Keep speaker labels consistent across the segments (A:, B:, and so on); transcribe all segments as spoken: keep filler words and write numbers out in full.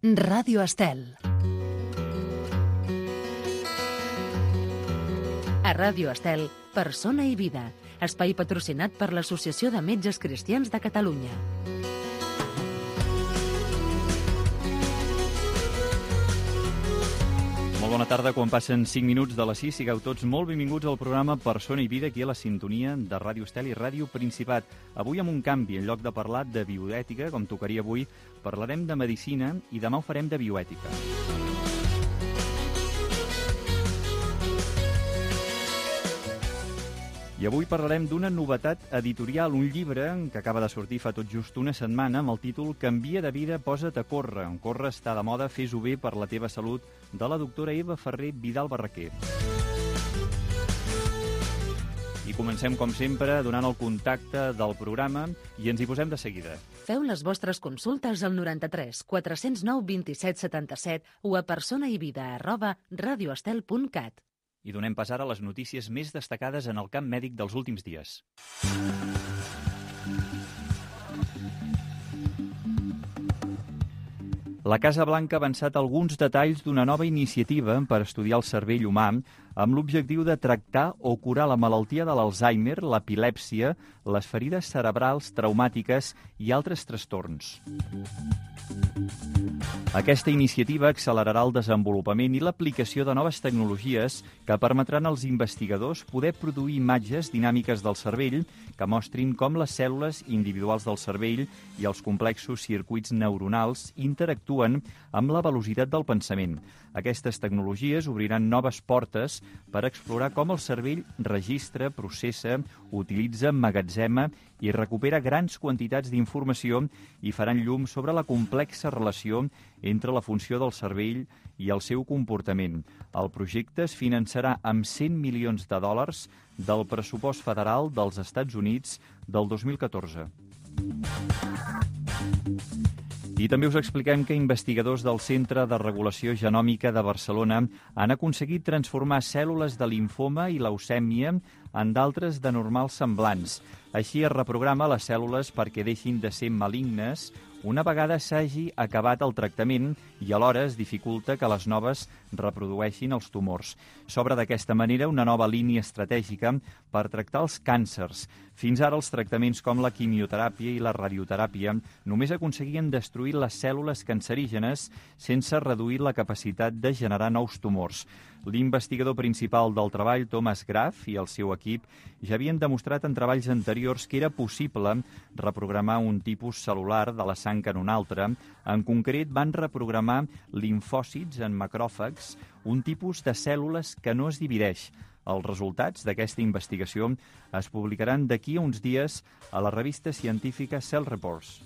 A: Ràdio Estel. A Ràdio Estel, Persona i Vida, espai patrocinat per l'Associació de Metges Cristians de Catalunya.
B: Molt bona tarda, quan passen cinc minuts de les sis, sigueu tots molt benvinguts al programa Persona i Vida, aquí a la sintonia de Ràdio Estel i Ràdio Principat. Avui amb un canvi, en lloc de parlar de bioètica, com tocaria avui, parlarem de medicina i demà ho farem de bioètica. I avui parlarem d'una novetat editorial, un llibre que acaba de sortir fa tot just una setmana amb el títol Canvia de vida, posa't a córrer. Córrer està de moda, fes-ho bé per la teva salut, de la doctora Eva Ferrer Vidal Barraquer. I comencem, com sempre, donant el contacte del programa i ens hi posem de seguida.
A: Feu les vostres consultes al noranta-tres quatre zero nou vint-i-set setanta-set o a personaivida arroba radioestel punt cat.
B: I donem pas ara a les notícies més destacades en el camp mèdic dels últims dies. La Casa Blanca ha avançat alguns detalls d'una nova iniciativa per estudiar el cervell humà amb l'objectiu de tractar o curar la malaltia de l'Alzheimer, l'epilèpsia, les ferides cerebrals traumàtiques i altres trastorns. Aquesta iniciativa accelerarà el desenvolupament i l'aplicació de noves tecnologies que permetran als investigadors poder produir imatges dinàmiques del cervell que mostrin com les cèl·lules individuals del cervell i els complexos circuits neuronals interactuen amb la velocitat del pensament. Aquestes tecnologies obriran noves portes per explorar com el cervell registra, processa, utilitza, emmagatzema i recupera grans quantitats d'informació i faran llum sobre la complexa relació entre la funció del cervell i el seu comportament. El projecte es finançarà amb cent milions de dòlars del pressupost federal dels Estats Units del dos mil catorze. I també us expliquem que investigadors del Centre de Regulació Genòmica de Barcelona han aconseguit transformar cèl·lules de limfoma i leucèmia en d'altres de normals semblants. Així es reprograma les cèl·lules perquè deixin de ser malignes una vegada s'hagi acabat el tractament i alhora es dificulta que les noves reprodueixin els tumors. S'obre d'aquesta manera una nova línia estratègica per tractar els càncers. Fins ara els tractaments com la quimioteràpia i la radioteràpia només aconseguien destruir les cèl·lules cancerígenes sense reduir la capacitat de generar nous tumors. L'investigador principal del treball, Thomas Graf, i el seu equip ja havien demostrat en treballs anteriors que era possible reprogramar un tipus cel·lular de la sang en un altre. En concret, van reprogramar limfòcits en macròfags, un tipus de cèl·lules que no es divideix. Els resultats d'aquesta investigació es publicaran d'aquí a uns dies a la revista científica Cell Reports.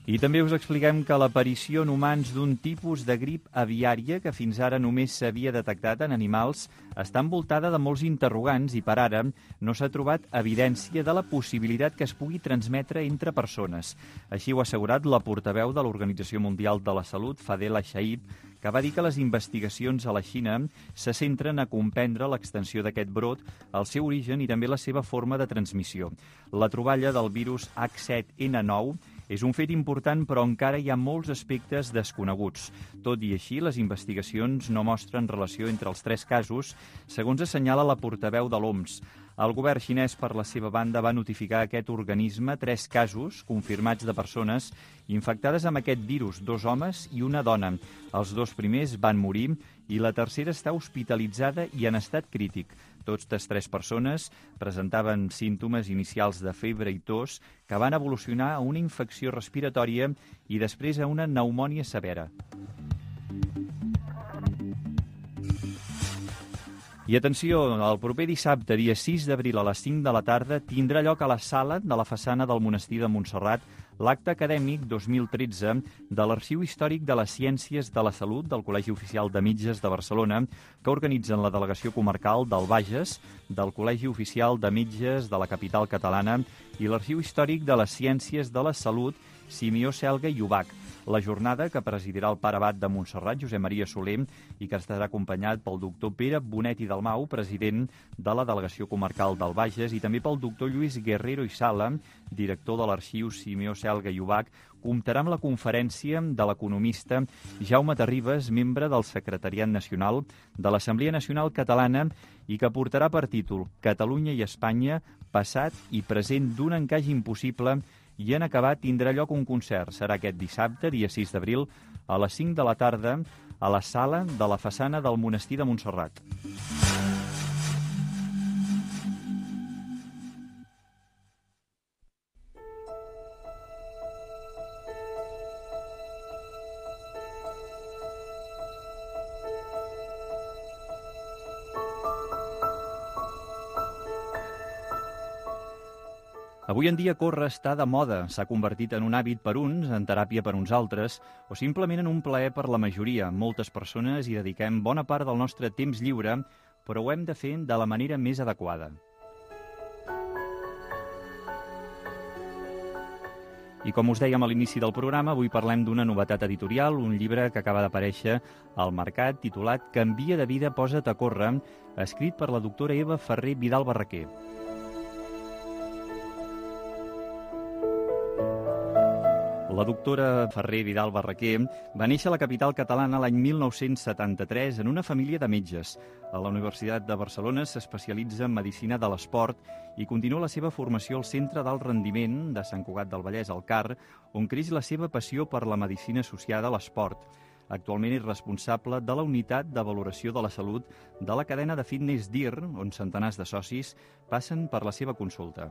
B: I també us expliquem que l'aparició en humans d'un tipus de grip aviària que fins ara només s'havia detectat en animals està envoltada de molts interrogants i per ara no s'ha trobat evidència de la possibilitat que es pugui transmetre entre persones. Així ho ha assegurat la portaveu de l'Organització Mundial de la Salut, Fadela Shaib, que va dir que les investigacions a la Xina se centren a comprendre l'extensió d'aquest brot, el seu origen i també la seva forma de transmissió. La troballa del virus H set N nou és un fet important, però encara hi ha molts aspectes desconeguts. Tot i així, les investigacions no mostren relació entre els tres casos, segons assenyala la portaveu de l'O M S. El govern xinès, per la seva banda, va notificar a aquest organisme tres casos confirmats de persones infectades amb aquest virus, dos homes i una dona. Els dos primers van morir i la tercera està hospitalitzada i en estat crític. Totes tres persones presentaven símptomes inicials de febre i tos que van evolucionar a una infecció respiratòria i després a una pneumònia severa. I atenció, el proper dissabte, dia sis d'abril a les cinc de la tarda, tindrà lloc a la sala de la façana del Monestir de Montserrat l'acte acadèmic dos mil tretze de l'Arxiu Històric de les Ciències de la Salut del Col·legi Oficial de Metges de Barcelona, que organitzen la Delegació Comarcal del Bages, del Col·legi Oficial de Metges de la capital catalana i l'Arxiu Històric de les Ciències de la Salut Simeó Selga i Ubach. la jornada que presidirà el pare abat de Montserrat, Josep Maria Soler, i que estarà acompanyat pel doctor Pere Bonet i Dalmau, president de la Delegació Comarcal del Bages, i també pel doctor Lluís Guerrero i Sala, director de l'Arxiu Simeó Selga i Ubach. Comptarà amb la conferència de l'economista Jaume Terribas, membre del Secretariat Nacional de l'Assemblea Nacional Catalana, i que portarà per títol Catalunya i Espanya, passat i present d'un encaix impossible, i en acabat tindrà lloc un concert. Serà aquest dissabte, dia sis d'abril, a les cinc de la tarda, a la sala de la façana del Monestir de Montserrat. Avui en dia córrer està de moda, s'ha convertit en un hàbit per uns, en teràpia per uns altres, o simplement en un plaer per la majoria. Moltes persones hi dediquem bona part del nostre temps lliure, però ho hem de fer de la manera més adequada. I com us dèiem a l'inici del programa, avui parlem d'una novetat editorial, un llibre que acaba d'aparèixer al mercat, titulat Canvia de vida, posa't a córrer, escrit per la doctora Eva Ferrer Vidal Barraquer. La doctora Ferrer Vidal Barraquer va néixer a la capital catalana l'any mil nou-cents setanta-tres en una família de metges. A la Universitat de Barcelona s'especialitza en Medicina de l'Esport i continua la seva formació al Centre d'Alt Rendiment de Sant Cugat del Vallès, al C A R, on creix la seva passió per la medicina associada a l'esport. Actualment és responsable de la unitat de valoració de la salut de la cadena de fitness D I R, on centenars de socis passen per la seva consulta.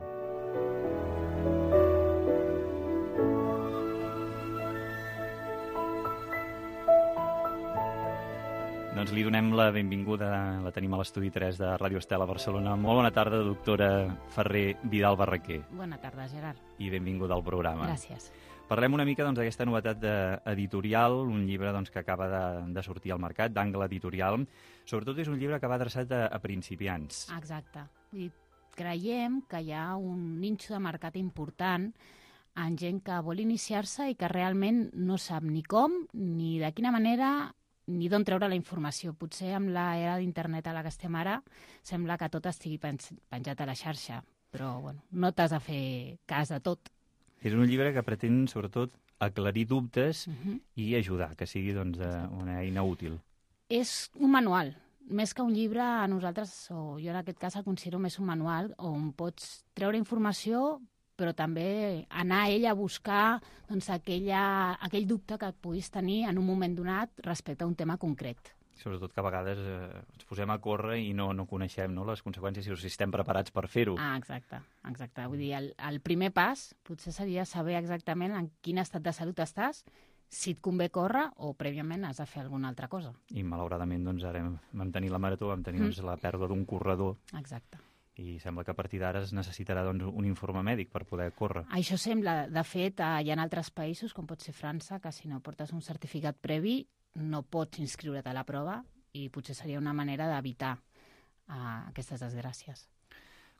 B: Doncs li donem la benvinguda, la tenim a l'estudi tres de Ràdio Estel a Barcelona. Molt bona tarda, doctora Ferrer Vidal Barraquer.
C: Bona tarda, Gerard.
B: I benvinguda al programa.
C: Gràcies.
B: Parlem una mica doncs, d'aquesta novetat editorial, un llibre doncs, que acaba de, de sortir al mercat, d'Angle Editorial. Sobretot és un llibre que va adreçat a, a principiants.
C: Exacte. I creiem que hi ha un nínxol de mercat important en gent que vol iniciar-se i que realment no sap ni com, ni de quina manera, ni d'on treure la informació. Potser amb l'era d'internet a la que estem ara sembla que tot estigui penjat a la xarxa, però bueno, no t'has de fer cas de tot.
B: És un llibre que pretén, sobretot, aclarir dubtes
C: Uh -huh.
B: i ajudar, que sigui doncs, una eina útil.
C: És un manual. Més que un llibre, a nosaltres, o jo en aquest cas el considero més un manual, on pots treure informació però també anar a ell a buscar doncs, aquella, aquell dubte que puguis tenir en un moment donat respecte a un tema concret.
B: Sobretot que a vegades eh, ens posem a córrer i no, no coneixem no, les conseqüències i si estem preparats per fer-ho.
C: Ah, exacte, exacte. Vull dir, el, el primer pas potser seria saber exactament en quin estat de salut estàs, si et convé córrer o prèviament has de fer alguna altra cosa.
B: I malauradament doncs, ara vam tenir la marató, vam tenir
C: Mm.
B: doncs, la pèrdua d'un corredor.
C: Exacte.
B: I sembla que a partir d'ara es necessitarà doncs, un informe mèdic per poder córrer.
C: Això sembla. De fet, eh, hi ha altres països, com pot ser França, que si no portes un certificat previ no pots inscriure't a la prova i potser seria una manera d'evitar uh, aquestes desgràcies.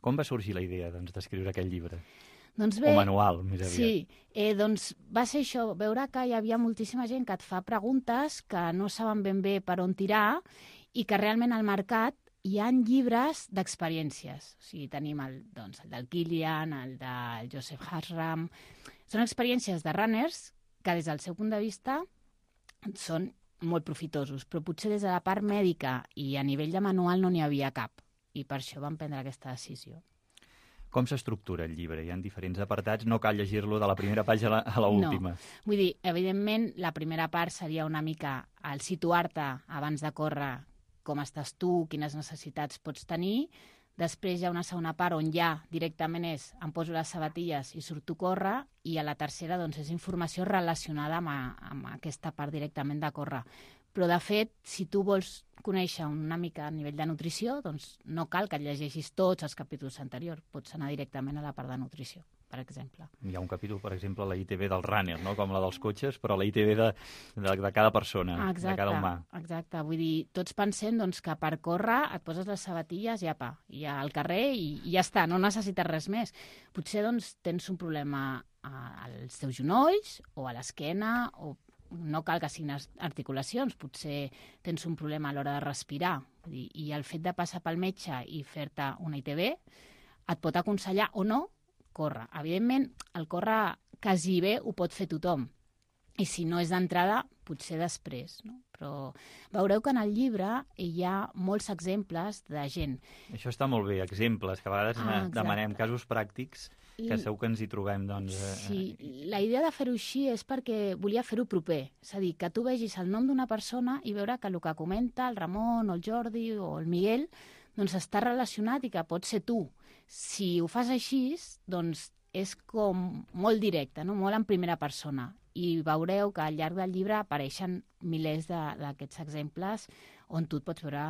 B: Com va sorgir la idea doncs, d'escriure aquest llibre?
C: Doncs bé,
B: o manual, més aviat.
C: Sí, eh, doncs va ser això, veure que hi havia moltíssima gent que et fa preguntes que no saben ben bé per on tirar i que realment al mercat hi ha llibres d'experiències. O sigui, tenim el, doncs, el del Kilian, el del Joseph Hasram. Són experiències de runners que des del seu punt de vista són molt profitosos, però potser des de la part mèdica i a nivell de manual no n'hi havia cap. I per això vam prendre aquesta decisió.
B: Com s'estructura el llibre? Hi ha diferents apartats, no cal llegir-lo de la primera pàgina a l'última.
C: No. Vull dir, evidentment, la primera part seria una mica el situar-te abans de córrer com estàs tu, quines necessitats pots tenir. Després hi ha una segona part on ja directament és em poso les sabatilles i surto a córrer, i a la tercera doncs, és informació relacionada amb, a, amb aquesta part directament de córrer. Però, de fet, si tu vols conèixer una mica a nivell de nutrició, doncs no cal que et llegeixis tots els capítols anteriors. Pots anar directament a la part de nutrició, per exemple.
B: Hi ha un capítol, per exemple, la I T B del runner, no? Com la dels cotxes, però la I T B de, de, de cada persona,
C: exacte,
B: de cada humà.
C: Exacte. Vull dir, tots pensem doncs, que per córrer et poses les sabatilles i apa, i al carrer i, i ja està, no necessites res més. Potser doncs, tens un problema als teus genolls o a l'esquena o no cal que siguin articulacions, potser tens un problema a l'hora de respirar, i, i el fet de passar pel metge i fer-te una I T B et pot aconsellar o no córrer. Evidentment, el córrer quasi bé ho pot fer tothom, i si no és d'entrada, potser després, no? Però veureu que en el llibre hi ha molts exemples de gent.
B: Això està molt bé, exemples, que a vegades ah, demanem casos pràctics, que
C: I...
B: segur que ens hi trobem, doncs... Eh...
C: Sí, la idea de fer-ho així és perquè volia fer-ho proper. És a dir, que tu vegis el nom d'una persona i veure que el que comenta el Ramon o el Jordi o el Miguel doncs està relacionat i que pot ser tu. Si ho fas així, doncs és com molt directe, no? Molt en primera persona. I veureu que al llarg del llibre apareixen milers d'aquests exemples on tu et pots veure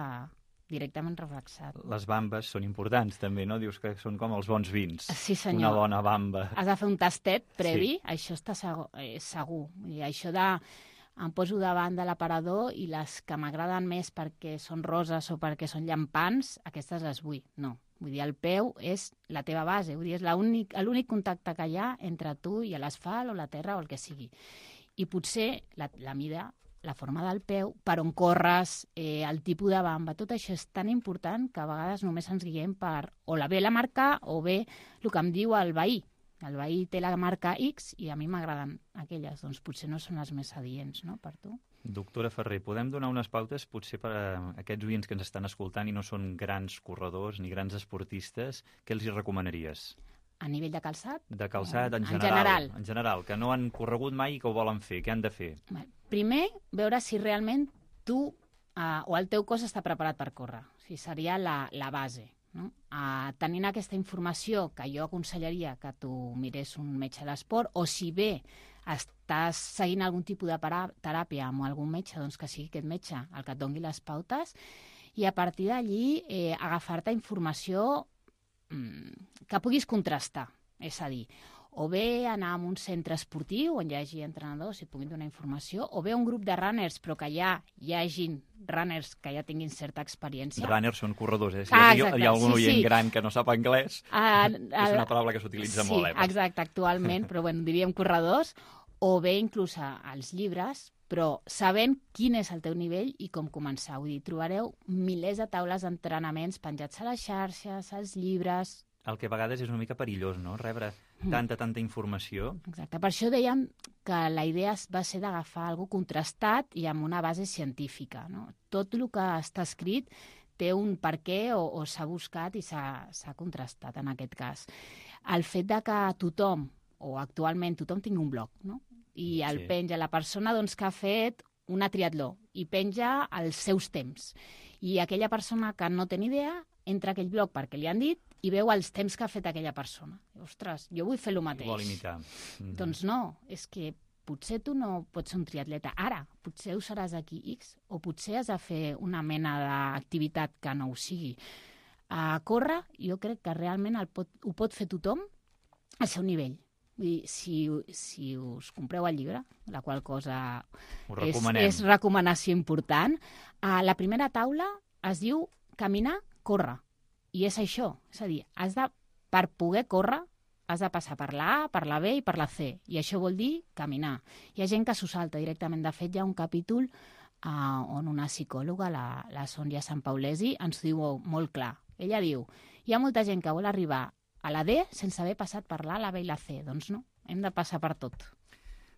C: directament reflexat. Les
B: bambes són importants, també, no? Dius que són com els bons vins.
C: Sí, senyor.
B: Una bona bamba.
C: Has de fer un tastet previ, sí. Això està segur. Eh, segur. I això de... Em poso davant de l'aparador i les que m'agraden més perquè són roses o perquè són llampants, aquestes les vull. No. Vull dir, el peu és la teva base, vull dir, és l'únic contacte que hi ha entre tu i l'asfalt o la terra o el que sigui. I potser la, la mida, la forma del peu, per on corres, eh, el tipus de bamba, tot això és tan important que a vegades només ens guiem per o la bé la marca o bé el que em diu el veí. El veí té la marca X i a mi m'agraden aquelles, doncs potser no són les més adients, no?, per tu.
B: Doctora Ferrer, podem donar unes pautes potser per a aquests oients que ens estan escoltant i no són grans corredors ni grans esportistes, què els hi recomanaries?
C: A nivell de calçat?
B: De calçat en general.
C: En general.
B: En general, que no han corregut mai i que ho volen fer. Què han de fer?
C: Primer, veure si realment tu eh, o el teu cos està preparat per córrer. O sigui, seria la, la base. No? Uh, tenint aquesta informació, que jo aconsellaria que tu mirés un metge de l'esport, o si bé estàs seguint algun tipus de teràpia amb algun metge, doncs que sigui aquest metge el que et doni les pautes, i a partir d'allí eh, agafar-te informació mm, que puguis contrastar. És a dir, o bé anar a un centre esportiu on hi hagi entrenadors i et puguin donar informació, o bé un grup de runners, però que ja hi hagin runners que ja tinguin certa experiència.
B: Runners són corredors, eh? Si
C: ah,
B: hi, ha, hi ha algun sí, oient sí. gran que no sap anglès, uh, és una paraula que s'utilitza
C: sí,
B: molt. Eh?
C: Exacte, actualment, però bueno, diríem corredors, o bé inclús als llibres, però sabent quin és el teu nivell i com començar. Vull dir, trobareu milers de taules d'entrenaments penjats a les xarxes, als llibres.
B: El que a vegades és una mica perillós, no?, rebre tanta, tanta informació.
C: Exacte. Per això dèiem que la idea va ser d'agafar algo contrastat i amb una base científica, no? Tot el que està escrit té un per què o, o s'ha buscat i s'ha contrastat en aquest cas. El fet de que tothom, o actualment tothom tingui un blog, no? I el sí. penja la persona doncs, que ha fet una triatló i penja els seus temps. I aquella persona que no té ni idea entra a aquell blog perquè li han dit i veu els temps que ha fet aquella persona. Ostres, jo vull fer el mateix.
B: Vol imitar. Mm-hmm.
C: Doncs no, és que potser tu no pots ser un triatleta ara, potser ho seràs aquí X, o potser has de fer una mena d'activitat que no ho sigui. A córrer, jo crec que realment el pot, ho pot fer tothom al seu nivell. Vull dir, si, si us compreu el llibre, la qual cosa és, és recomanació important, a la primera taula es diu caminar, córrer. I és això, és a dir, has de, per poder córrer, has de passar per la A, per la B i per la C. I això vol dir caminar. Hi ha gent que s'ho salta directament. De fet, hi ha un capítol uh, on una psicòloga, la, la Sònia Sampaulesi, ens diu molt clar. Ella diu, hi ha molta gent que vol arribar a la D sense haver passat per l'A, la B i la C. Doncs no, hem de passar per tot.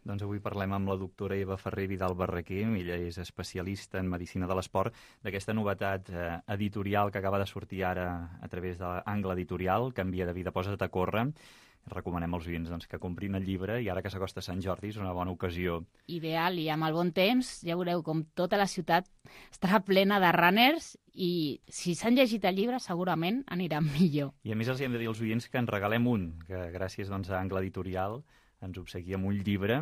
B: Doncs avui parlem amb la doctora Eva Ferrer Vidal Barraquer. Ella és especialista en medicina de l'esport, d'aquesta novetat eh, editorial que acaba de sortir ara a través de l'Angle Editorial, Canvia de vida, posa't a córrer. Recomanem als oients doncs, que comprin el llibre i ara que s'acosta Sant Jordi és una bona ocasió.
C: Ideal, i amb el bon temps ja veureu com tota la ciutat estarà plena de runners i si s'han llegit el llibre segurament aniran millor.
B: I a més els hem de dir als oients que en regalem un, que gràcies doncs, a Angle Editorial ens obsequia amb un llibre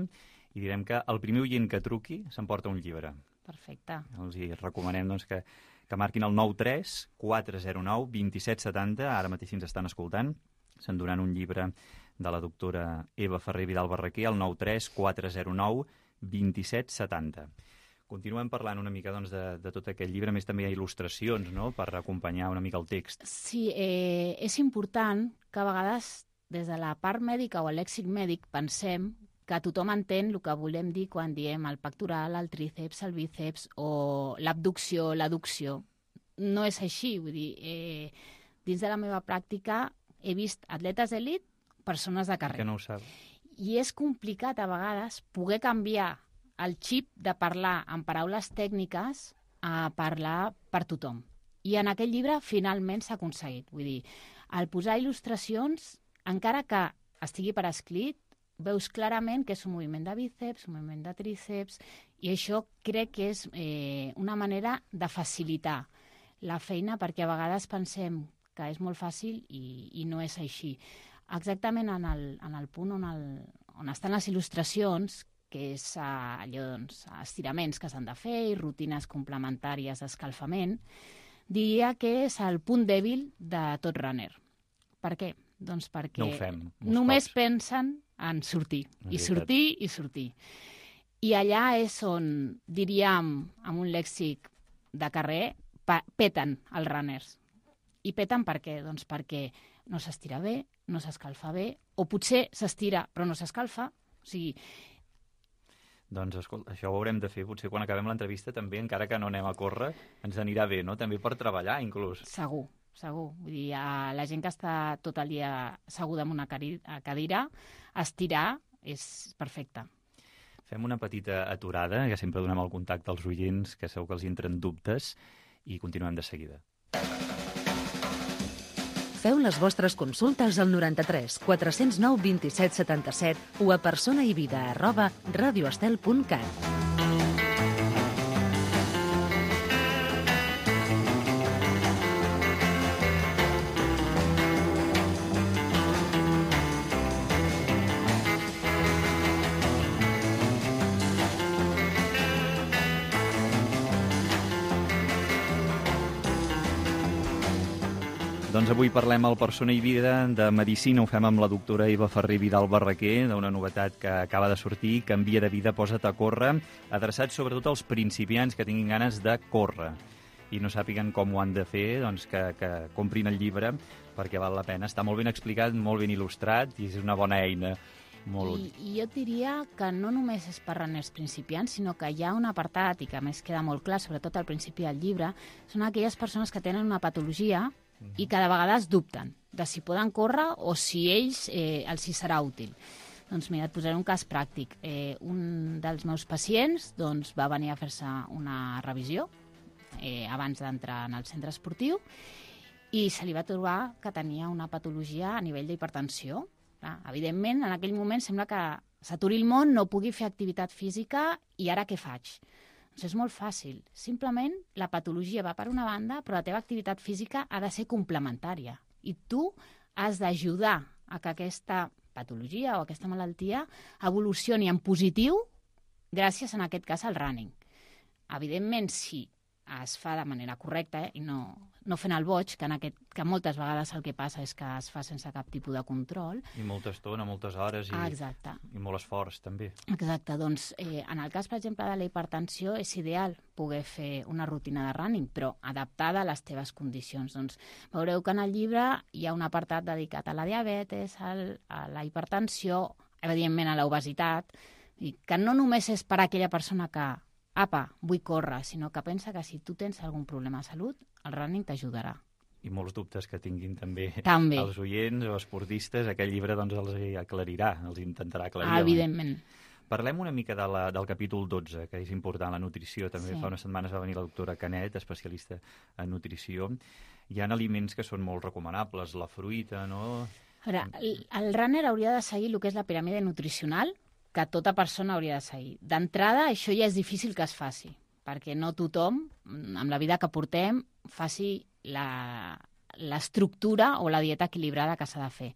B: i direm que el primer oient que truqui s'emporta un llibre.
C: Perfecte.
B: Els hi recomanem doncs, que, que marquin el nou tres quatre zero nou dos set set zero, ara mateix ens estan escoltant, s'enduran un llibre de la doctora Eva Ferrer Vidal Barraquer, el nou tres quatre zero nou dos set set zero. Continuem parlant una mica doncs, de, de tot aquest llibre, a més també hi ha il·lustracions, no?, per acompanyar una mica el text.
C: Sí, eh, és important que a vegades des de la part mèdica o el lèxic mèdic pensem que tothom entén el que volem dir quan diem el pectoral, el tríceps, el bíceps o l'abducció, l'adducció. No és així, vull dir, eh, dins de la meva pràctica he vist atletes d'elit, persones de carrer.
B: Que no ho sap.
C: I és complicat a vegades poder canviar el xip de parlar en paraules tècniques a parlar per tothom. I en aquest llibre finalment s'ha aconseguit. Vull dir, al posar il·lustracions, encara que estigui per escrit, veus clarament que és un moviment de bíceps, un moviment de tríceps, i això crec que és eh, una manera de facilitar la feina, perquè a vegades pensem que és molt fàcil i, i no és així. Exactament en el, en el punt on, el, on estan les il·lustracions, que és uh, allò, doncs, estiraments que s'han de fer i rutines complementàries d'escalfament, diria que és el punt dèbil de tot runner. Per què? Doncs perquè
B: no ho fem,
C: només
B: cops.
C: pensen en sortir, i sortir, i sortir. I allà és on, diríem, amb un lèxic de carrer, peten els runners. I peten per què? Doncs perquè no s'estira bé, no s'escalfa bé, o potser s'estira però no s'escalfa. O sigui...
B: Doncs, escolta, això ho haurem de fer, potser quan acabem l'entrevista també, encara que no anem a córrer, ens anirà bé, no? També per treballar, inclús.
C: Segur, segur. Vull dir, la gent que està tot el dia asseguda en una cadira, estirar és perfecte.
B: Fem una petita aturada, que sempre donem el contacte als oients, que segur que els entren dubtes, i continuem de seguida.
A: Feu les vostres consultes al noranta-tres quatre-cents nou vint-i-set setanta-set o a personaivida arroba radioestel punt cat.
B: Doncs avui parlem al Persona i Vida de Medicina, ho fem amb la doctora Eva Ferrer Vidal Barraquer, d'una novetat que acaba de sortir, Canvia de vida, posa't a córrer, adreçat sobretot als principiants que tinguin ganes de córrer i no sàpiguen com ho han de fer, doncs que, que comprin el llibre perquè val la pena. Està molt ben explicat, molt ben il·lustrat i és una bona eina. Molt...
C: I, I jo diria que no només és per runners principiants, sinó que hi ha un apartat, i que a més queda molt clar, sobretot al principi del llibre, són aquelles persones que tenen una patologia i que de vegades dubten de si poden córrer o si ells eh, els hi serà útil. Doncs mira, et posaré un cas pràctic. Eh, un dels meus pacients doncs, va venir a fer-se una revisió eh, abans d'entrar en el centre esportiu i se li va trobar que tenia una patologia a nivell d'hipertensió. Clar, evidentment, en aquell moment sembla que s'aturi el món, no pugui fer activitat física i ara què faig? Doncs és molt fàcil. Simplement la patologia va per una banda, però la teva activitat física ha de ser complementària. I tu has d'ajudar a que aquesta patologia o aquesta malaltia evolucioni en positiu gràcies, en aquest cas, al running. Evidentment, si es fa de manera correcta eh, i no, no fent el boig, que, en aquest, que moltes vegades el que passa és que es fa sense cap tipus de control.
B: I molta estona, moltes hores i,
C: ah, exacte.
B: i molt esforç també.
C: Exacte, doncs eh, en el cas, per exemple, de la hipertensió és ideal poder fer una rutina de running, però adaptada a les teves condicions. Doncs veureu que en el llibre hi ha un apartat dedicat a la diabetes, al, a la hipertensió, evidentment a l'obesitat, i que no només és per a aquella persona que apa, vull córrer, sinó que pensa que si tu tens algun problema de salut, el running t'ajudarà.
B: I molts dubtes que tinguin també,
C: també.
B: els oients o esportistes, aquest llibre doncs, els aclarirà, els intentarà aclarir.
C: Ah, evidentment.
B: Parlem una mica de la, del capítol dotze, que és important, la nutrició. També sí. Fa unes setmanes va venir la doctora Canet, especialista en nutrició. Hi ha aliments que són molt recomanables, la fruita, no?
C: A veure, el, el runner hauria de seguir el que és la piràmide nutricional, que tota persona hauria de seguir. D'entrada, això ja és difícil que es faci, perquè no tothom, amb la vida que portem, faci l'estructura o la dieta equilibrada que s'ha de fer.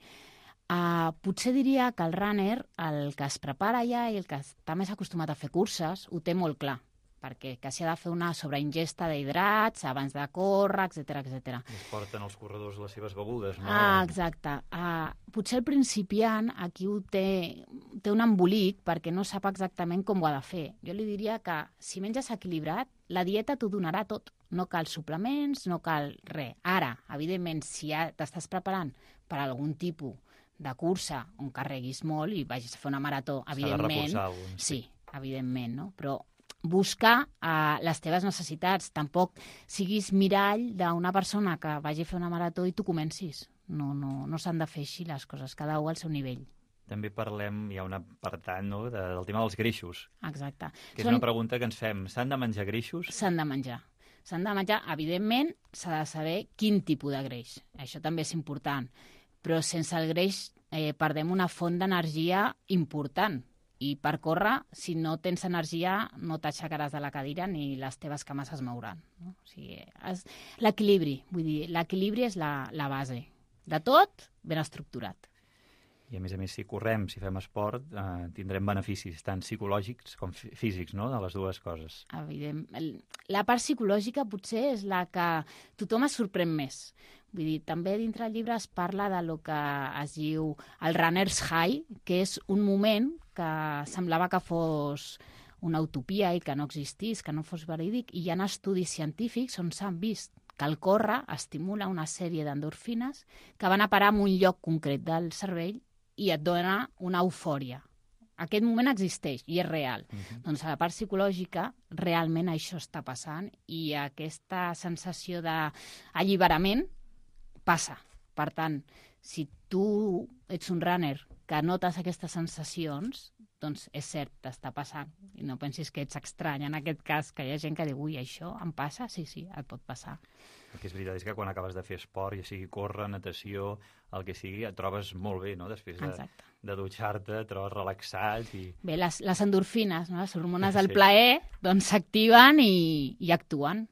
C: Uh, potser diria que el runner, el que es prepara ja i el que està més acostumat a fer curses, ho té molt clar, perquè que s'ha de fer una sobreingesta d'hidrats abans de córrer, etcètera, etcètera.
B: Es porten els corredors les seves begudes, no?
C: Ah, exacte. Uh, potser el principiant aquí ho té, té un embolic perquè no sap exactament com ho ha de fer. Jo li diria que si menges equilibrat, la dieta t'ho donarà tot. No cal suplements, no cal res. Ara, evidentment, si ja t'estàs preparant per algun tipus de cursa on carreguis molt i vagis a fer una marató, evidentment...
B: S'ha de reforçar.
C: Sí, evidentment, no? Però buscar uh, les teves necessitats. Tampoc siguis mirall d'una persona que vagi a fer una marató i tu comencis. No, no, no s'han de fer així les coses, cada un al seu nivell.
B: També parlem, hi ha un apartat, no?, de, del tema dels greixos.
C: Exacte.
B: Que és Són... una pregunta que ens fem. S'han de menjar greixos?
C: S'han de menjar. S'han de menjar, evidentment, s'ha de saber quin tipus de greix. Això també és important. Però sense el greix eh, perdem una font d'energia important. I per córrer, si no tens energia, no t'aixecaràs de la cadira ni les teves cames es mouran. No? O sigui, és... l'equilibri, vull dir, l'equilibri és la, la base. De tot, ben estructurat.
B: I a més a més, si correm, si fem esport, eh, tindrem beneficis tant psicològics com físics, no?, de les dues coses.
C: Evident. La part psicològica potser és la que tothom es sorprèn més. Vull dir, també dintre el llibre es parla de lo que es diu el runner's high, que és un moment que semblava que fos una utopia i que no existís, que no fos verídic, i hi ha estudis científics on s'han vist que el córrer estimula una sèrie d'endorfines que van a parar en un lloc concret del cervell i et dona una eufòria. Aquest moment existeix i és real. Uh-huh. Doncs a la part psicològica realment això està passant i aquesta sensació d'alliberament passa. Per tant, si tu ets un runner que notes aquestes sensacions, doncs és cert, t'està passant. I no pensis que ets estrany en aquest cas, que hi ha gent que diu, ui, això em passa? Sí, sí, et pot passar.
B: El que és veritat és que quan acabes de fer esport, ja sigui córrer, natació, el que sigui, et trobes molt bé, no? Després de, de dutxar-te, et trobes relaxat i...
C: Bé, les, les endorfines, no? Les hormones del sí. plaer, doncs s'activen i, i actuen.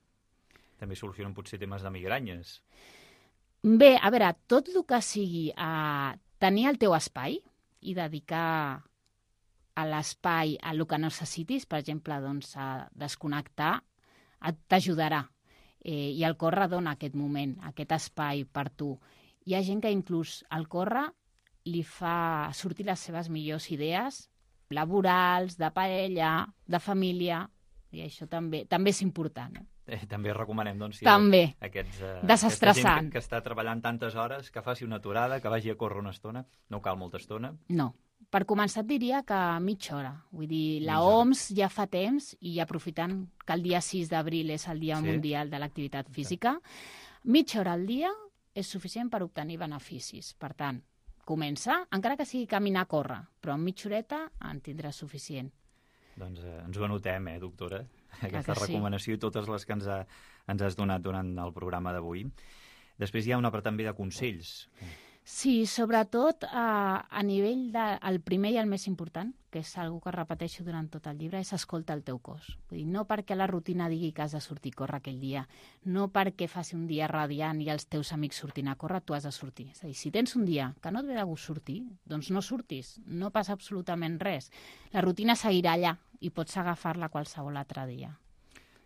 B: També solucionen potser temes de migranyes.
C: Bé, a veure, tot el que sigui a tenir el teu espai i dedicar a l'espai a el que necessitis, per exemple, doncs, a desconnectar, t'ajudarà. Eh, I el córrer dona aquest moment, aquest espai per tu. Hi ha gent que inclús el córrer li fa sortir les seves millors idees laborals, de parella, de família, i això també també és important. Eh?
B: Eh, també recomanem, doncs, si
C: també.
B: Aquests, eh,
C: desestressant.
B: Que, que està treballant tantes hores, que faci una aturada, que vagi a córrer una estona. No cal molta estona.
C: No. Per començar et diria que mitja hora. Vull dir, la O M S ja fa temps, i aprofitant que el dia sis d'abril és el Dia sí. Mundial de l'Activitat Física, mitja hora al dia és suficient per obtenir beneficis. Per tant, comença, encara que sigui caminar a córrer, però en mitja horeta en tindràs suficient.
B: Doncs eh, ens ho anotem, eh, doctora? Aquesta
C: sí.
B: recomanació i totes les que ens, ha, ens has donat durant el programa d'avui. Després hi ha una part també de consells.
C: Sí, sobretot eh, a nivell de... El primer i el més important, que és algo que repeteixo durant tot el llibre, és escolta el teu cos. Vull dir, no perquè la rutina digui que has de sortir a córrer aquell dia, no perquè faci un dia radiant i els teus amics surtin a córrer, tu has de sortir. És a dir, si tens un dia que no et ve de gust sortir, doncs no surtis, no passa absolutament res. La rutina seguirà allà i pots agafar-la qualsevol altre dia.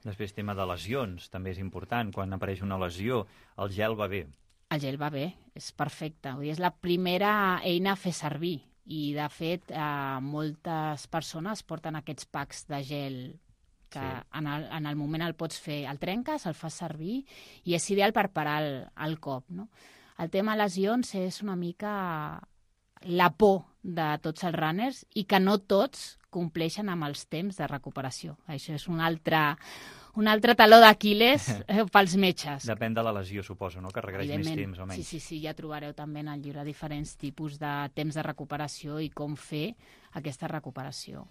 B: Després, tema de lesions, també és important. Quan apareix una lesió, el gel va bé.
C: El gel va bé, és perfecte. Vull dir, és la primera eina a fer servir. I, de fet, eh, moltes persones porten aquests packs de gel que sí. en, el, en el moment el pots fer, el trenques, el fas servir i és ideal per parar el, el cop. No? El tema lesions és una mica la por de tots els runners i que no tots compleixen amb els temps de recuperació. Això és un altre... Un altre taló d'Aquil·les eh, pels metges.
B: Depèn de la lesió, suposo, no? Que requereix més temps o menys.
C: Sí, sí, sí, ja trobareu també en el llibre diferents tipus de temps de recuperació i com fer aquesta recuperació.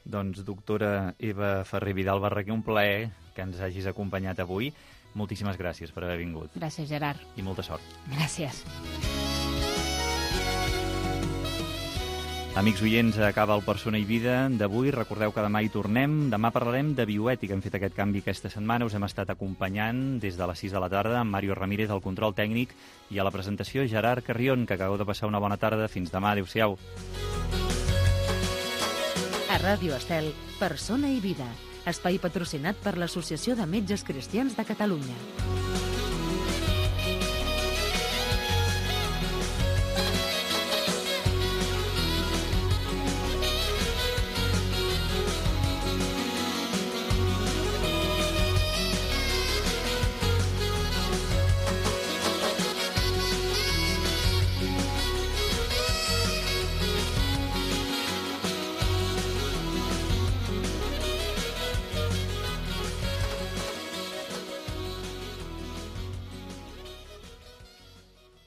B: Doncs, doctora Eva Ferrer Vidal Barraquer, un plaer que ens hagis acompanyat avui. Moltíssimes gràcies per haver vingut.
C: Gràcies, Gerard.
B: I molta sort.
C: Gràcies.
B: Amics oients, acaba el Persona i Vida d'avui. Recordeu que demà hi tornem. Demà parlarem de bioètica. Hem fet aquest canvi aquesta setmana. Us hem estat acompanyant des de les sis de la tarda amb Mario Ramírez al control tècnic i a la presentació Gerard Carrion, que acabeu de passar una bona tarda. Fins demà. Adéu-siau.
A: A Ràdio Estel, Persona i Vida. Espai patrocinat per l'Associació de Metges Cristians de Catalunya.